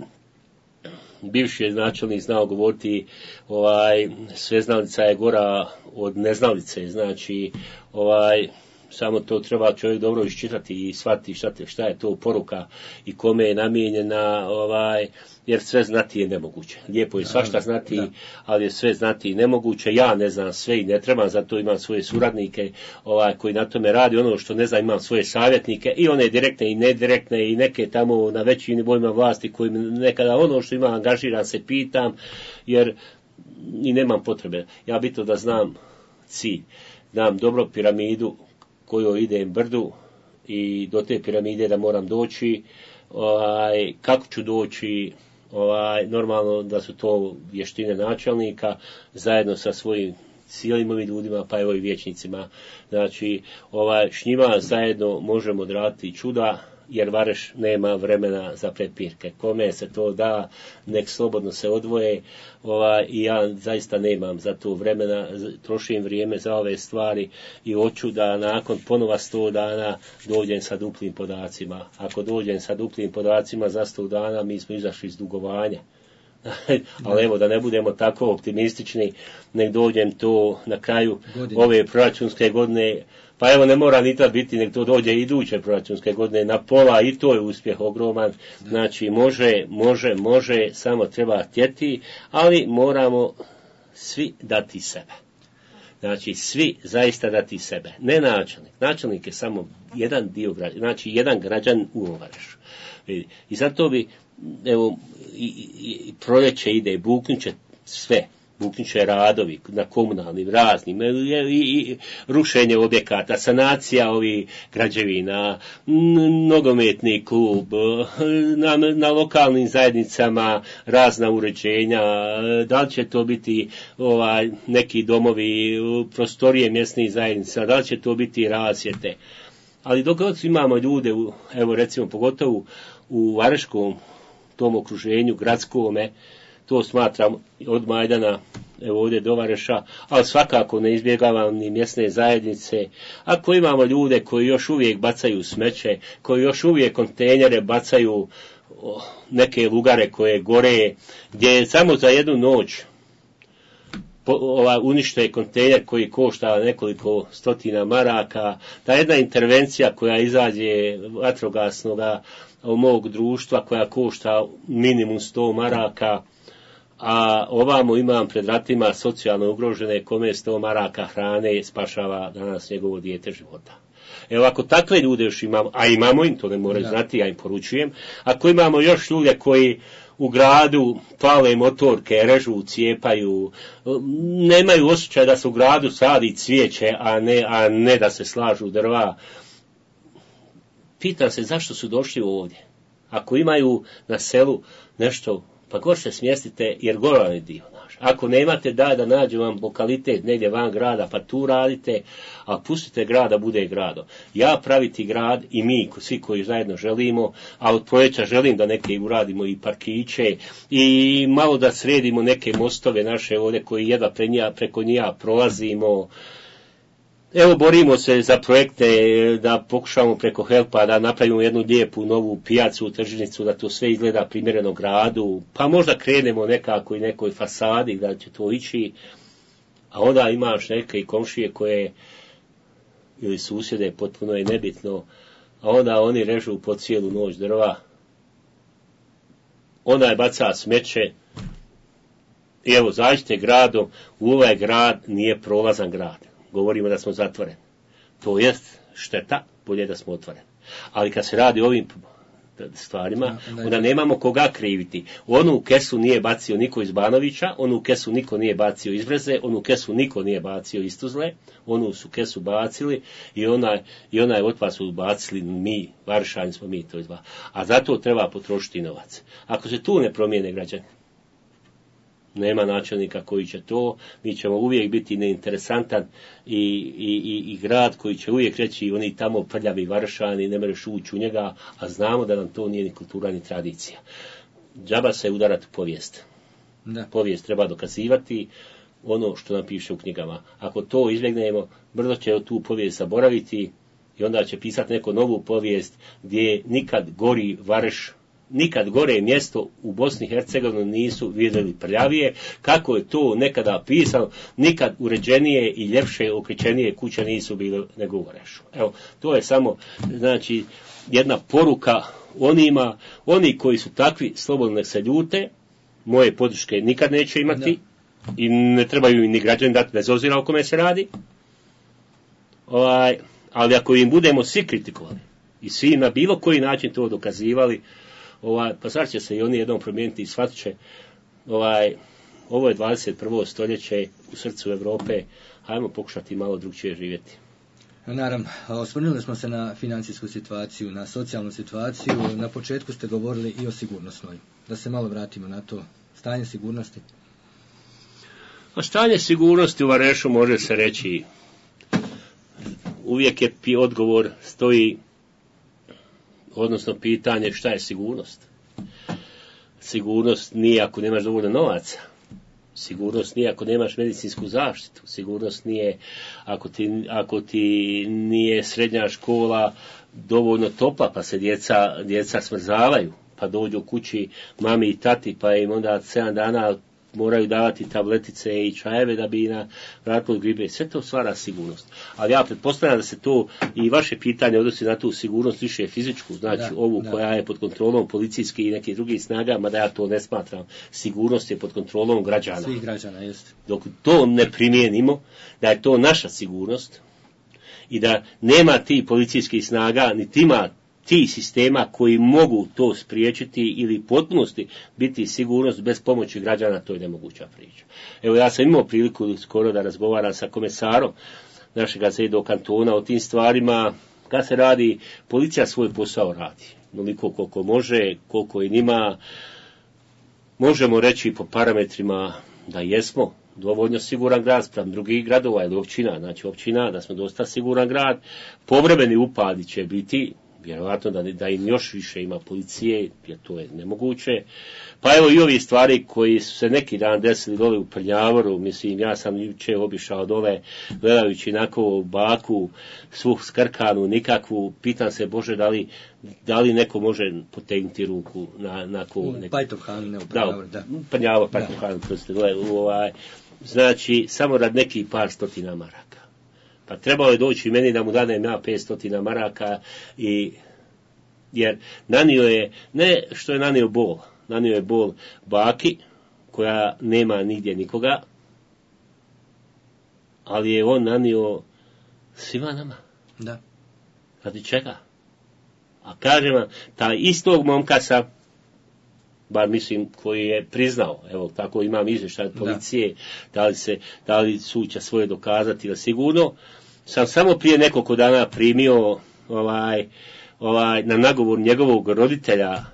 bivši je načelnik znao govoriti, ovaj, sveznalica je gora od neznalice, znači, ovaj, samo to treba čovjek dobro iščitati i shvatiti šta, šta je to poruka i kome je namijenjena, ovaj, jer sve znati je nemoguće. Lijepo je svašta znati, da. Ali je sve znati i nemoguće. Ja ne znam sve i ne trebam, zato imam svoje suradnike ovaj, koji na tome radi. Ono što ne znam, imam svoje savjetnike i one direktne i nedirektne i neke tamo na većim nivoima vlasti koji nekada ono što imam angažiran se pitam, jer i nemam potrebe. Ja bitno da znam cilj, znam dobro piramidu kojoj idem brdu i do te piramide da moram doći, ovaj, kako ću doći, ovaj, normalno da su to vještine načelnika zajedno sa svojim cijelim ovim ljudima, pa evo i vijećnicima. Znači, ovaj, s njima zajedno možemo odraditi čuda, jer Vareš nema vremena za prepirke. Kome se to da, nek slobodno se odvoje, ovaj, i ja zaista nemam za to vremena, trošim vrijeme za ove stvari i hoću da nakon ponova sto dana dođem sa duplim podacima. Ako dođem sa duplim podacima za sto dana, mi smo izašli iz dugovanja. Ali evo, da ne budemo tako optimistični, nek dođem to na kraju godine. Ove proračunske godine. Pa evo, ne mora ni tad biti, nek to dođe iduće proračunske godine na pola i to je uspjeh ogroman. Znači, može, može, može, samo treba htjeti, ali moramo svi dati sebe. Znači, svi zaista dati sebe. Ne načelnik. Načelnik je samo jedan dio građana, znači jedan građan u Varešu. I zato bi, evo, i, i, i proljeće ide, buknuće sve. Buknuće radovi na komunalnim raznim, i, i, i rušenje objekata, sanacija ovih građevina, nogometni klub, na, na lokalnim zajednicama razna uređenja, da li će to biti ovaj, neki domovi, prostorije mjesnih zajednica, da li će to biti rasvjete. Ali dok imamo ljude, evo recimo pogotovo u Vareškom tom okruženju, gradskome, to smatram od Majdana, evo ovdje do Vareša, ali svakako ne izbjegavam ni mjesne zajednice. Ako imamo ljude koji još uvijek bacaju smeće, koji još uvijek kontejnere bacaju, neke lugare koje gore, gdje samo za jednu noć unište kontejner koji košta nekoliko stotina maraka, ta jedna intervencija koja izađe vatrogasnoga mog društva koja košta minimum sto maraka, a ovamo imam pred ratima socijalno ugrožene kome sto maraka hrane spašava danas njegovo dijete života. Evo ako takve ljude još imamo, a imamo im, to ne moraju da. znati, ja im poručujem, ako imamo još ljude koji u gradu pale motorke, režu, cijepaju, nemaju osjećaj da se u gradu sadi cvijeće, a ne, a ne da se slažu drva, pitam se zašto su došli ovdje. Ako imaju na selu nešto, pa gore se smjestite, jer goran je dio naš. Ako nemate, daj da nađu vam lokalitet negdje van grada, pa tu radite, a pustite grad da bude grado. Ja praviti grad i mi, svi koji zajedno želimo, a od proljeća želim da neke uradimo i parkiće i malo da sredimo neke mostove naše ovdje koji jedva pre njega, preko njega prolazimo. Evo, borimo se za projekte da pokušamo preko Helpa da napravimo jednu lijepu novu pijacu, tržnicu, da to sve izgleda primjereno gradu, pa možda krenemo nekako i nekoj fasadi da će to ići, a onda imaš neke i komšije koje, ili susjede, potpuno je nebitno, a onda oni režu po cijelu noć drva, onda je baca smeće, i evo, zađite gradom, u ovaj grad nije prolazan grad. Govorimo da smo zatvoreni. To jest šteta, bolje da smo otvoreni. Ali kad se radi o ovim stvarima, onda nemamo koga kriviti. Onu kesu nije bacio niko iz Banovića, onu kesu niko nije bacio iz Breze, onu kesu niko nije bacio iz Tuzle, onu su kesu bacili i onaj, i onaj otpad su bacili mi, Varšani smo mi to izba. A zato treba potrošiti novac. Ako se tu ne promijene građani, nema načelnika koji će to, mi ćemo uvijek biti neinteresantan i, i, i, i grad koji će uvijek reći oni tamo prljavi Varšani, ne mereš ući u njega, a znamo da nam to nije ni kultura ni tradicija. Džaba se udarati u povijest. Da. Povijest treba dokazivati ono što nam piše u knjigama. Ako to izbjegnemo, brzo će tu povijest zaboraviti I onda će pisati neku novu povijest gdje nikad gori Vareš, nikad gore mjesto u Bosni i Hercegovini nisu vidjeli prljavije, kako je to nekada pisano, nikad uređenije i ljepše, okričenije kuće nisu bile nego u Varešu. Evo, to je samo, znači, jedna poruka onima, oni koji su takvi, slobodno nek se ljute, moje podrške nikad neće imati, da. I ne trebaju im ni građani dati, bez obzira o kome se radi. Ovaj, ali ako im budemo svi kritikovali i svi na bilo koji način to dokazivali, ovaj, pa sad će se i oni jednom promijeniti i shvatit će, ovaj, ovo je dvadeset prvo stoljeće u srcu Europe, hajmo pokušati malo drugčije živjeti. Naravno, osvrnuli smo se na financijsku situaciju, na socijalnu situaciju, na početku ste govorili i o sigurnosnoj. Da se malo vratimo na to, stanje sigurnosti. A stanje sigurnosti u Varešu može se reći, uvijek je odgovor stoji, odnosno pitanje šta je sigurnost. Sigurnost nije ako nemaš dovoljno novaca. Sigurnost nije ako nemaš medicinsku zaštitu. Sigurnost nije ako ti, ako ti nije srednja škola dovoljno topla pa se djeca, djeca smrzavaju. Pa dođu kući mami i tati pa im onda sedam dana moraju davati tabletice i čajeve da bi na vratilo gribe. Sve to stvara sigurnost. Ali ja pretpostavljam da se to i vaše pitanje odnosi na tu sigurnost više fizičku, znači da, ovu da. Koja je pod kontrolom policijskih i nekih drugih snaga, mada ja to ne smatram. Sigurnost je pod kontrolom građana. Svih građana, jeste. Dok to ne primijenimo, da je to naša sigurnost i da nema ti policijskih snaga, niti ima ti sistema koji mogu to spriječiti ili potpunosti biti sigurnost bez pomoći građana, to je nemoguća priča. Evo ja sam imao priliku skoro da razgovaram sa komesarom našega Zedo kantona o tim stvarima, kad se radi, policija svoj posao radi. Onoliko koliko može, koliko i nima, možemo reći po parametrima da jesmo dovoljno siguran grad spram drugih gradova ili općina, znači općina da smo dosta siguran grad, povremeni upadi će biti, vjerojatno da, da im još više ima policije, jer to je nemoguće. Pa evo i ovi stvari koji su se neki dan desili dole u Prljavoru, mislim, ja sam juče obišao dole, gledajući onako baku, svu skrkanu, nikakvu, pitam se, Bože, da li, da li neko može potegnuti ruku na, na ko... Neko... Pajtohan, ne u Prljavoru, da. U Prljavoru, Pajtohan, proste, dole, ovaj, znači, samo rad nekih par stotina maraka. Pa trebalo je doći meni da mu danem ja petsto maraka, i, jer nanio je, ne što je nanio bol, nanio je bol baki, koja nema nigdje nikoga, ali je on nanio svima nama. Da. Radi čega? A kažem vam, taj istog momka sam, bar mislim koji je priznao, evo tako imam izvještaj od policije, da. da li se, da li suća svoje dokazati, da sigurno, sam samo prije nekoliko dana primio ovaj, ovaj, na nagovor njegovog roditelja,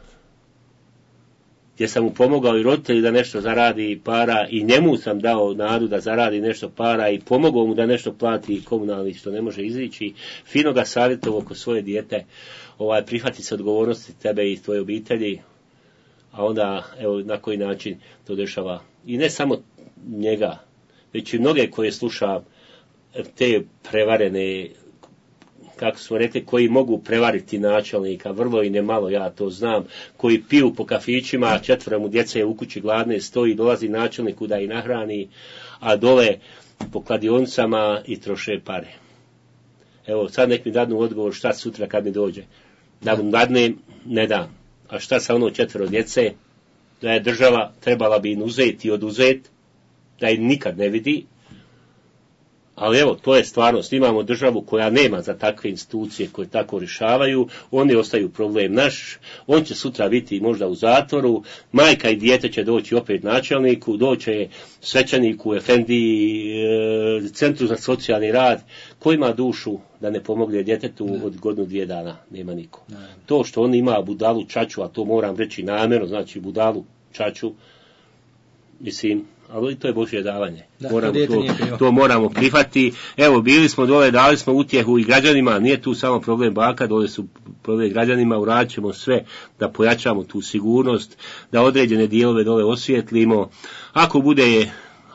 gdje sam mu pomogao i roditelji da nešto zaradi para, i njemu sam dao nadu da zaradi nešto para i pomogao mu da nešto plati komunalni što ne može izići, fino ga savjetovao oko svoje dijete, ovaj, prihvati se odgovornosti tebe i tvoje obitelji, a onda evo na koji način to dešava. I ne samo njega, već i mnoge koje sluša, te prevarene, kako smo rekli, koji mogu prevariti načelnika, vrlo i nemalo, ja to znam, koji piju po kafićima, četvoro mu djece u kući gladne stoji, dolazi načelniku da ih nahrani, a dole po kladionicama i troše pare. Evo, sad nek mi dadnu odgovor šta sutra kad mi dođe. Da mu dadnem, ne dam. A šta sa ono četvoro djece, da je država trebala bi im uzeti i oduzeti, da im nikad ne vidi. Ali evo, to je stvarnost. Imamo državu koja nema za takve institucije koje tako rješavaju, oni ostaju problem naš, on će sutra biti možda u zatvoru, majka i dijete će doći opet načelniku, doće svećaniku, efendiji, e, centru za socijalni rad, ko ima dušu da ne pomogne djetetu ne. Od godinu dvije dana, nema niko. Ne. To što on ima budalu čaču, a to moram reći namjerno, znači budalu čaču, mislim, ali to je Božje davanje. Da, moramo to, to moramo prihvati. Evo, bili smo dole, dali smo utjehu i građanima, nije tu samo problem baka, dole su problem građanima, uradit ćemo sve da pojačamo tu sigurnost, da određene dijelove dole osvijetlimo. Ako bude,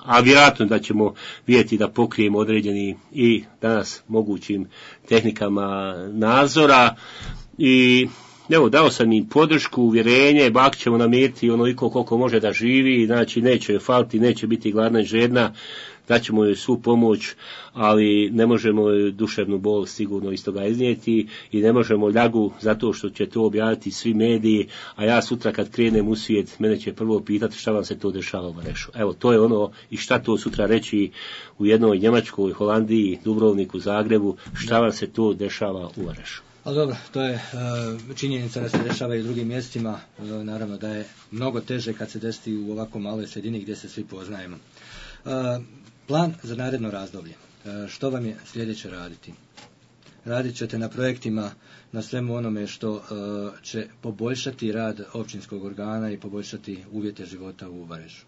a vjerojatno da ćemo vidjeti da pokrijemo određeni i danas mogućim tehnikama nadzora i evo, dao sam im podršku, uvjerenje, bak ćemo namiriti onoliko koliko može da živi, znači neće joj faliti, neće biti gladna i žedna, daćemo joj svu pomoć, ali ne možemo joj duševnu bol sigurno iz toga iznijeti i ne možemo ljagu zato što će to objaviti svi mediji, a ja sutra kad krenem u svijet, mene će prvo pitati šta vam se to dešava u Varešu. Evo, to je ono i šta to sutra reći u jednoj Njemačkoj, Holandiji, Dubrovniku, Zagrebu, šta vam se to dešava u Varešu. Ali dobro, to je uh, činjenica da se dešava i u drugim mjestima, uh, naravno da je mnogo teže kad se desi u ovako maloj sredini gdje se svi poznajemo. Uh, plan za naredno razdoblje, uh, što vam je sljedeće raditi? Radit ćete na projektima, na svemu onome što uh, će poboljšati rad općinskog organa i poboljšati uvjete života u Varešu.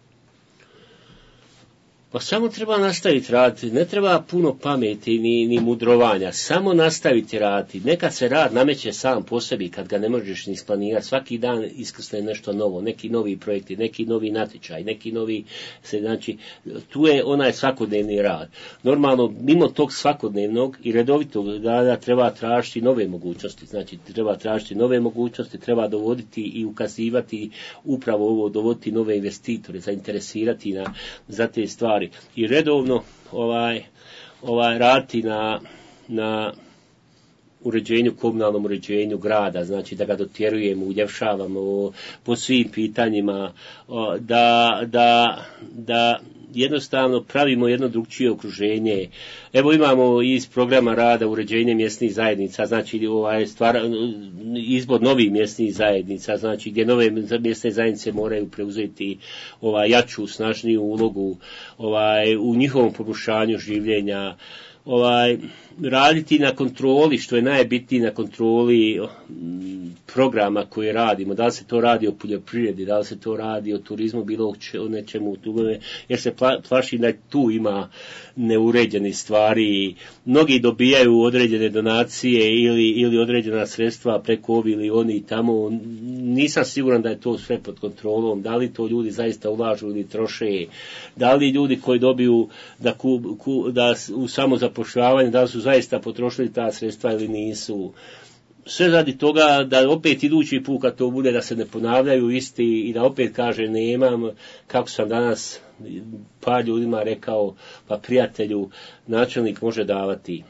Pa samo treba nastaviti raditi, ne treba puno pameti ni, ni mudrovanja, samo nastaviti raditi. Nekad se rad nameće sam po sebi kad ga ne možeš ni isplanirati. Svaki dan iskrsne nešto novo, neki novi projekti, neki novi natječaj, neki novi, se, znači, tu je onaj svakodnevni rad. Normalno, mimo tog svakodnevnog i redovitog rada treba tražiti nove mogućnosti, znači treba tražiti nove mogućnosti, treba dovoditi i ukazivati upravo ovo, dovoditi nove investitore, zainteresirati na, za te stvari. I redovno ovaj, ovaj raditi na, na uređenju, komunalnom uređenju grada, znači da ga dotjerujemo, uljepšavamo po svim pitanjima, da, da, da jednostavno pravimo jedno drugčije okruženje. Evo imamo iz programa rada uređenje mjesnih zajednica, znači ovaj stvar, izbor novih mjesnih zajednica, znači gdje nove mjesne zajednice moraju preuzeti ovaj jaču, snažniju ulogu ovaj u njihovom poboljšanju življenja. Ovaj, raditi na kontroli, što je najbitnije, na kontroli programa koje radimo, da li se to radi o poljoprivredi, da li se to radi o turizmu, bilo o nečemu, jer se plaši da tu ima neuređene stvari. Mnogi dobijaju određene donacije ili, ili određena sredstva preko ovi ili oni tamo. Nisam siguran da je to sve pod kontrolom, da li to ljudi zaista ulažu ili troše, da li ljudi koji dobiju da, ku, ku, da u samozapošljavanje, da li su zaista potrošili ta sredstva ili nisu. Sve radi toga da opet idući put kad to bude da se ne ponavljaju isti i da opet kaže nemam, kako sam danas par ljudima rekao, pa prijatelju, načelnik može davati,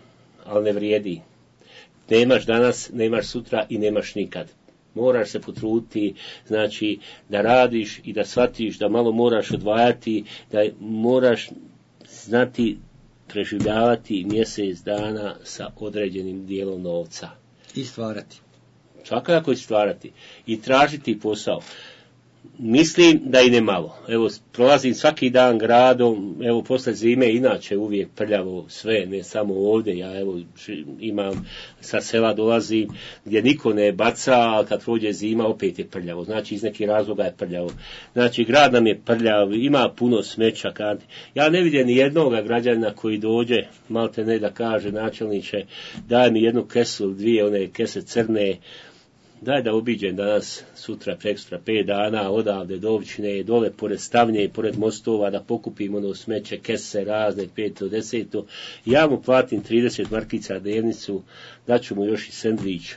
ali ne vrijedi. Nemaš danas, nemaš sutra i nemaš nikad. Moraš se potruditi, znači da radiš i da shvatiš da malo moraš odvajati, da moraš znati preživljavati mjesec dana sa određenim dijelom novca. I stvarati. Svakako i stvarati. I tražiti posao. Mislim da i ne malo. Evo, prolazim svaki dan gradom, evo, posle zime inače uvijek prljavo sve, ne samo ovdje, ja evo imam, sa sela dolazim gdje niko ne baca, ali kad prođe zima opet je prljavo, znači iz nekih razloga je prljavo. Znači, grad nam je prljav, ima puno smeća, kad ja ne vidim ni jednoga građanina koji dođe, malte ne da kaže načelniče, daj mi jednu kesu, dvije one kese crne, daj da obiđem danas, sutra, prekstra, pet dana, odavde do općine, dole pored stavnje i pored mostova, da pokupim ono smeće, kese razne, peto, deseto. Ja mu platim trideset markica dnevnicu, daću mu još i sendvič.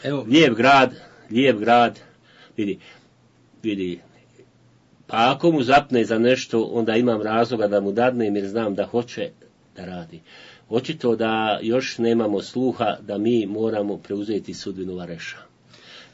Evo. Lijep grad, lijep grad, vidi, vidi, pa ako mu zapne za nešto, onda imam razloga da mu dadnem jer znam da hoće da radi. Očito da još nemamo sluha da mi moramo preuzeti sudbinu Vareša.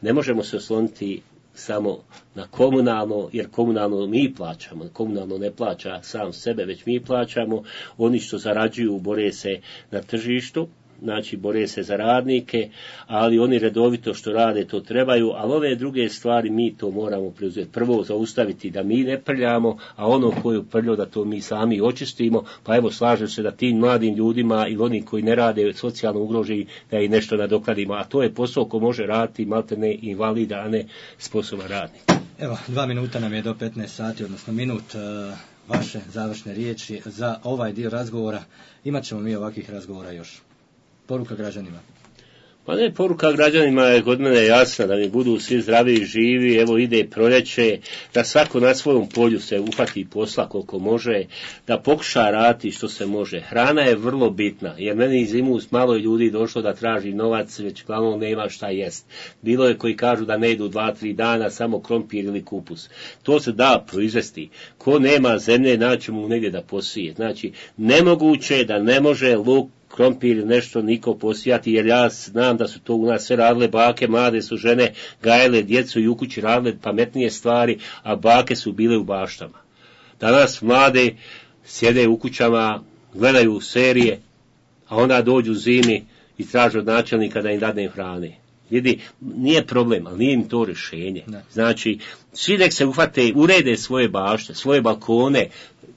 Ne možemo se osloniti samo na komunalno, jer komunalno mi plaćamo, komunalno ne plaća sam sebe, već mi plaćamo, oni što zarađuju bore se na tržištu, znači bore se za radnike, ali oni redovito što rade to trebaju, ali ove druge stvari mi to moramo preuzeti. Prvo zaustaviti da mi ne prljamo, a ono koju prljo da to mi sami očistimo, pa evo slažem se da tim mladim ljudima ili oni koji ne rade socijalno ugroženi da i nešto nadokladimo, a to je posao ko može raditi maltene invalida, a ne sposoban radnik. Evo, dva minuta nam je do petnaest sati, odnosno minut, vaše završne riječi za ovaj dio razgovora. Imat ćemo mi ovakvih razgovora još. Poruka građanima. Pa ne, poruka građanima je kod mene jasna, da mi budu svi zdravi i živi, evo ide proljeće, da svako na svojom polju se uhvati posla koliko može, da pokuša raditi što se može. Hrana je vrlo bitna, jer meni iz Imus malo je ljudi došlo da traži novac, već glavno nema šta jest. Bilo je koji kažu da ne idu dva, tri dana, samo krompir ili kupus. To se da proizvesti. Ko nema zemlje, naći mu negdje da posije. Znači, nemoguće je da ne može luk, krompir, nešto niko posijati, jer ja znam da su to u nas sve radile bake, mlade su žene, gajele djecu i u kući radile pametnije stvari, a bake su bile u baštama. Danas mlade sjede u kućama, gledaju serije, a onda dođu zimi i traže od načelnika da im dadne hrane. Vidi, nije problem, ali nije im to rješenje. Znači, svi nek se uhvate, urede svoje bašte, svoje balkone,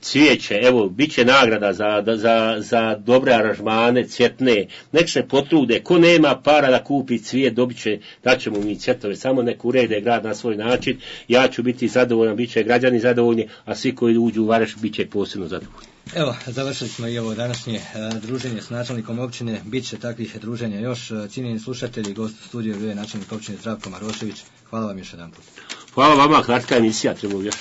cvijeće, evo, bit će nagrada za, za, za dobre aranžmane, cvjetne, nek se potrude, ko nema para da kupi cvijet, dobit će, daćemo mi cvjetove, samo nek urede grad na svoj način, ja ću biti zadovoljan, bit će građani zadovoljni, a svi koji uđu u Vareš bit će posebno zadovoljni. Evo, završili smo i ovo današnje uh, druženje s načelnikom općine, bit će takvih druženja još. Cijenjeni slušatelji, gost u studiju bio je načelnik općine Zdravko Marošević. Hvala vam još jedan put. Hvala vama, kratka emisija, treba još.